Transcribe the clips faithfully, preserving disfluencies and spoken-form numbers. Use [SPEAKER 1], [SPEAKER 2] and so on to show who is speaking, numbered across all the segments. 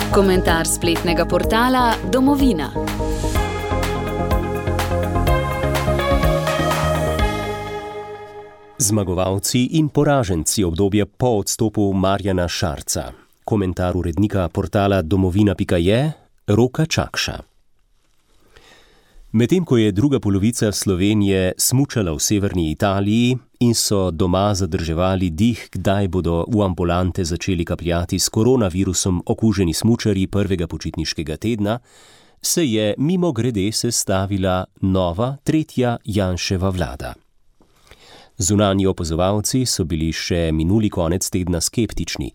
[SPEAKER 1] Komentar spletnega portala Domovina.
[SPEAKER 2] Zmagovalci in poraženci obdobja po odstopu Marjana Šarca. Komentar urednika portala domovina pika je Roka Čakša. Medtem ko je druga polovica Slovenije smučala v severni Italiji in so doma zadrževali dih, kdaj bodo v ambulante začeli kapljati s koronavirusom okuženi smučarji prvega počitniškega tedna, se je mimogrede sestavila nova, tretja Janševa vlada. Zunanji opazovalci so bili še minuli konec tedna skeptični,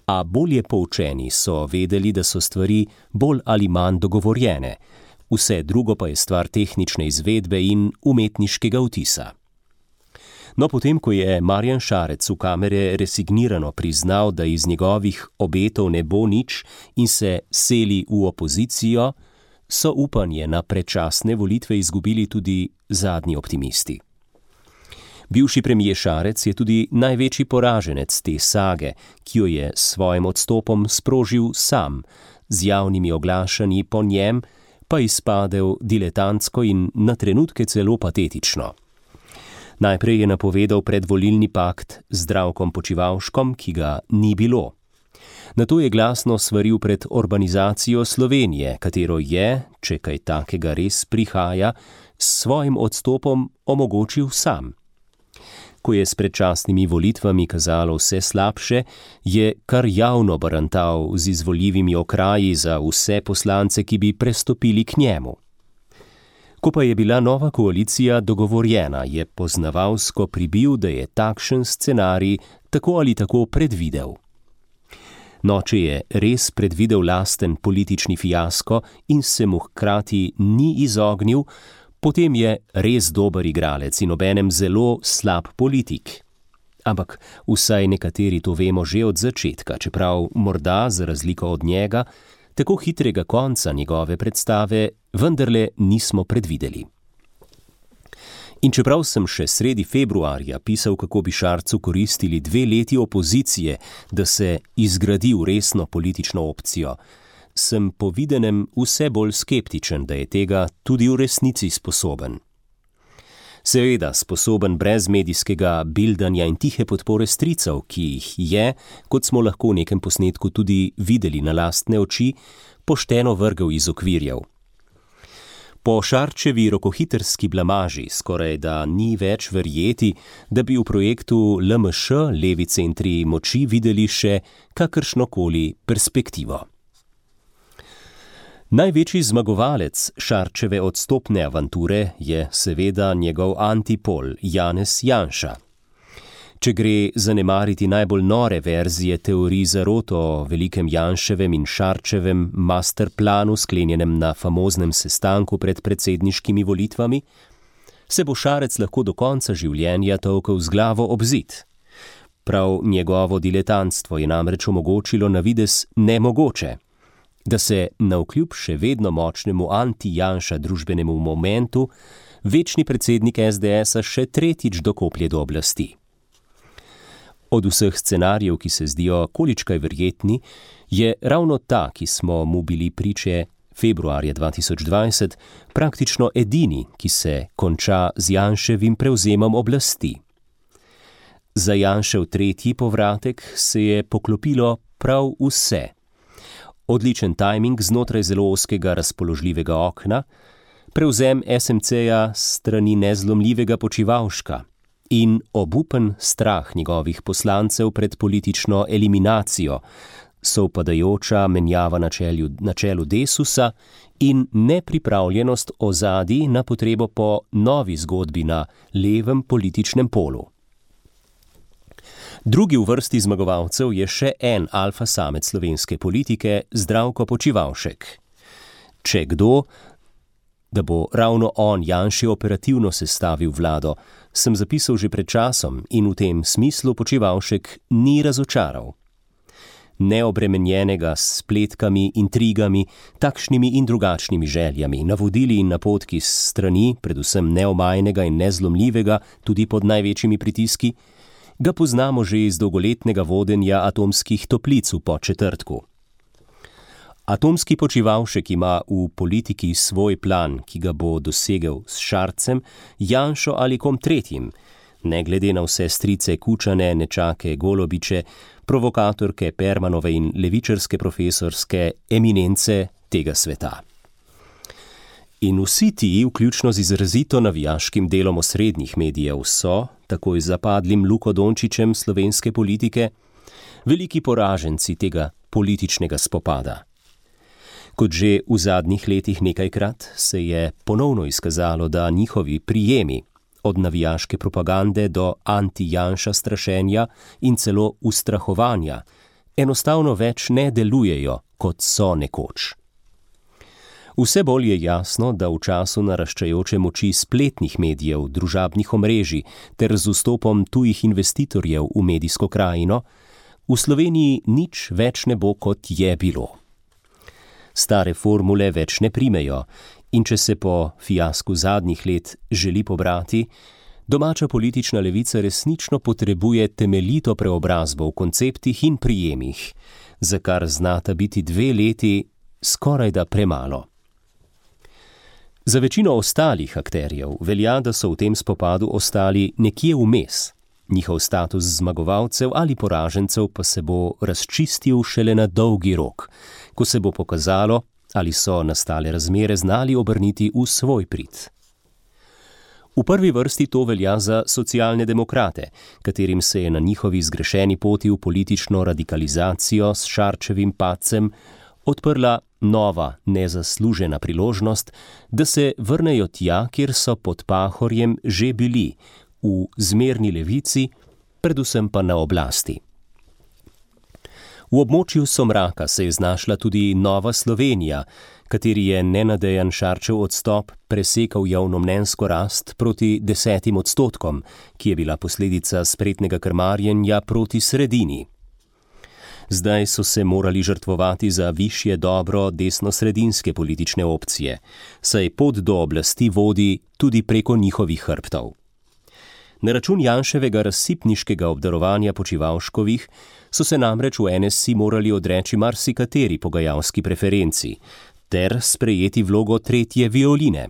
[SPEAKER 2] a bolje poučeni so vedeli, da so stvari bolj ali manj dogovorjene, vse drugo pa je stvar tehnične izvedbe in umetniškega vtisa. No, potem, ko je Marjan Šarec v kamere resignirano priznal, da iz njegovih obetov ne bo nič in se seli v opozicijo, so upanje na predčasne volitve izgubili tudi zadnji optimisti. Bivši premier Šarec je tudi največji poraženec te sage, ki jo je s svojim odstopom sprožil sam, z javnimi oglašanji po njem pa izpadel diletantsko in na trenutke celo patetično. Najprej je napovedal predvolilni pakt z Zdravkom Počivalškom, ki ga ni bilo. Nato je glasno svaril pred urbanizacijo Slovenije, katero je, če kaj takega res prihaja, s svojim odstopom omogočil sam. Ko je s predčasnimi volitvami kazalo vse slabše, je kar javno barantal z izvoljivimi okraji za vse poslance, ki bi prestopili k njemu. Ko pa je bila nova koalicija dogovorjena, je poznavalsko pribil, da je takšen scenarij tako ali tako predvidel. No, če je res predvidel lasten politični fiasko in se mu hkrati ni izognil, potem je res dober igralec in obenem zelo slab politik. Ampak vsaj nekateri to vemo že od začetka, čeprav morda za razliko od njega, tako hitrega konca njegove predstave vendarle nismo predvideli. In čeprav sem še sredi februarja pisal, kako bi Šarcu koristili dve leti opozicije, da se izgradi v resno politično opcijo, sem po videnem vse bolj skeptičen, da je tega tudi v resnici sposoben. Seveda sposoben brez medijskega bildanja in tihe podpore stricev, ki jih je, kot smo lahko v nekem posnetku tudi videli na lastne oči, pošteno vrgel iz okvirjev. Po Šarčevi rokohitrski blamaži skoraj da ni več verjeti, da bi v projektu L M Š levi centri moči videli še kakršnokoli perspektivo. Največji zmagovalec Šarčeve odstopne avanture je seveda njegov antipol Janez Janša. Če gre zanemariti najbolj nore verzije teorij zarot o velikem Janševem in Šarčevem masterplanu sklenjenem na famoznem sestanku pred predsedniškimi volitvami, se bo Šarec lahko do konca življenja tolkel z glavo ob zid. Prav njegovo diletantstvo je namreč omogočilo na videz nemogoče, da se navkljub še vedno močnemu anti-Janša družbenemu momentu večni predsednik S D S-a še tretjič dokoplje do oblasti. Od vseh scenarijev, ki se zdijo količkaj verjetni, je ravno ta, ki smo mu bili priče februarja dva tisoč dvajset, praktično edini, ki se konča z Janševim prevzemom oblasti. Za Janšev tretji povratek se je poklopilo prav vse. Odličen tajming znotraj zelo ozkega razpoložljivega okna, prevzem S M C-ja strani nezlomljivega Počivalška in obupen strah njegovih poslancev pred politično eliminacijo, sovpadajoča menjava na čelu, na čelu Desusa in nepripravljenost ozadij na potrebo po novi zgodbi na levem političnem polu. Drugi v vrsti zmagovalcev je še en alfa samec slovenske politike, Zdravko Počivalšek. Če kdo, da bo ravno on Janši operativno sestavil vlado, sem zapisal že pred časom in v tem smislu Počivalšek ni razočaral. Neobremenjenega s spletkami, intrigami, takšnimi in drugačnimi željami, navodili in napotki s strani, predvsem neomajnega in nezlomljivega, tudi pod največjimi pritiski, ga poznamo že iz dolgoletnega vodenja atomskih toplic v Podčetrtku. Atomski Počivalšek ima v politiki svoj plan, ki ga bo dosegel s Šarcem, Janšo ali kom tretjim, ne glede na vse strice Kučane, nečake Golobiče, provokatorke Permanove in levičarske profesorske eminence tega sveta. In vsi ti, vključno z izrazito navijaškim delom osrednjih medijev, so, takoj zapadlim Luko Dončićem slovenske politike, veliki poraženci tega političnega spopada. Kot že v zadnjih letih nekajkrat se je ponovno izkazalo, da njihovi prijemi, od navijaške propagande do anti-Janša strašenja in celo ustrahovanja, enostavno več ne delujejo, kot so nekoč. Vse bolj je jasno, da v času naraščajoče moči spletnih medijev, družabnih omrežij ter z vstopom tujih investitorjev v medijsko krajino, v Sloveniji nič več ne bo, kot je bilo. Stare formule več ne primejo in če se po fiasku zadnjih let želi pobrati, domača politična levica resnično potrebuje temeljito preobrazbo v konceptih in prijemih, za kar znata biti dve leti skorajda premalo. Za večino ostalih akterjev velja, da so v tem spopadu ostali nekje vmes. Njihov status zmagovalcev ali poražencev pa se bo razčistil šele na dolgi rok, ko se bo pokazalo, ali so nastale razmere znali obrniti v svoj prid. V prvi vrsti to velja za socialne demokrate, katerim se je na njihovi zgrešeni poti v politično radikalizacijo s Šarčevim padcem odprla nova, nezaslužena priložnost, da se vrnejo tja, kjer so pod Pahorjem že bili, v zmerni levici, predvsem pa na oblasti. V območju somraka se je znašla tudi Nova Slovenija, kateri je nenadejan Šarčev odstop presekal javnomnenjsko rast proti desetim odstotkom, ki je bila posledica spretnega krmarjenja proti sredini. Zdaj so se morali žrtvovati za višje dobro desnosredinske politične opcije, saj pot do oblasti vodi tudi preko njihovih hrbtov. Na račun Janševega razsipniškega obdarovanja Počivalškovih so se namreč v N S I morali odreči marsikateri pogajalski preferenci ter sprejeti vlogo tretje violine.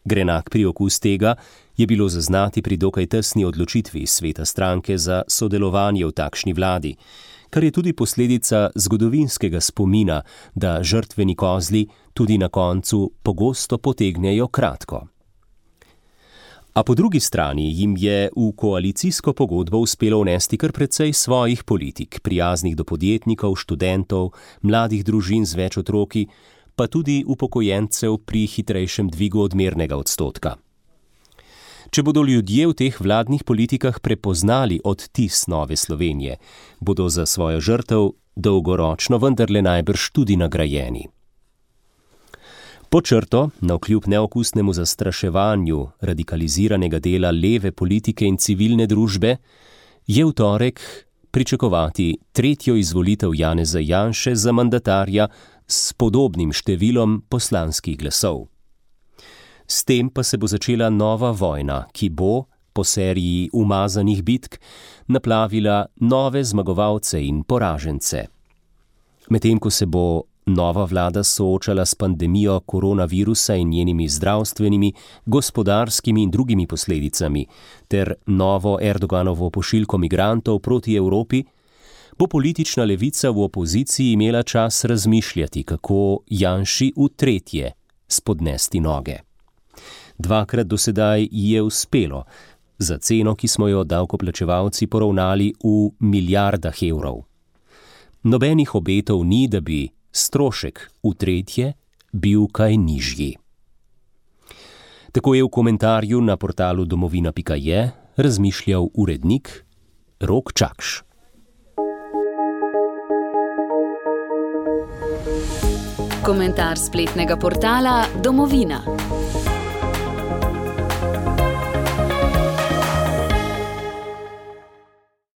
[SPEAKER 2] Grenak priokus tega je bilo zaznati pri dokaj tesni odločitvi sveta stranke za sodelovanje v takšni vladi, kar je tudi posledica zgodovinskega spomina, da žrtveni kozli tudi na koncu pogosto potegnejo kratko. A po drugi strani jim je v koalicijsko pogodbo uspelo vnesti kar precej svojih politik, prijaznih do podjetnikov, študentov, mladih družin z več otroki, pa tudi upokojencev pri hitrejšem dvigu odmernega odstotka. Če bodo ljudje v teh vladnih politikah prepoznali odtis Nove Slovenije, bodo za svojo žrtev dolgoročno vendarle najbrž tudi nagrajeni. Po črto, navkljub neokusnemu zastraševanju radikaliziranega dela leve politike in civilne družbe, je v torek pričakovati tretjo izvolitev Janeza Janše za mandatarja s podobnim številom poslanskih glasov. S tem pa se bo začela nova vojna, ki bo, po seriji umazanih bitk, naplavila nove zmagovalce in poražence. Medtem ko se bo nova vlada soočala s pandemijo koronavirusa in njenimi zdravstvenimi, gospodarskimi in drugimi posledicami ter novo Erdoganovo pošiljko migrantov proti Evropi, bo politična levica v opoziciji imela čas razmišljati, kako Janši v tretje spodnesti noge. Dvakrat do sedaj ji je uspelo, za ceno, ki smo jo davkoplačevalci poravnali v milijardah evrov. Nobenih obetov ni, da bi strošek v tretje bil kaj nižji. Tako je v komentarju na portalu domovina pika je razmišljal urednik Rok Čakš.
[SPEAKER 1] Komentar spletnega portala Domovina.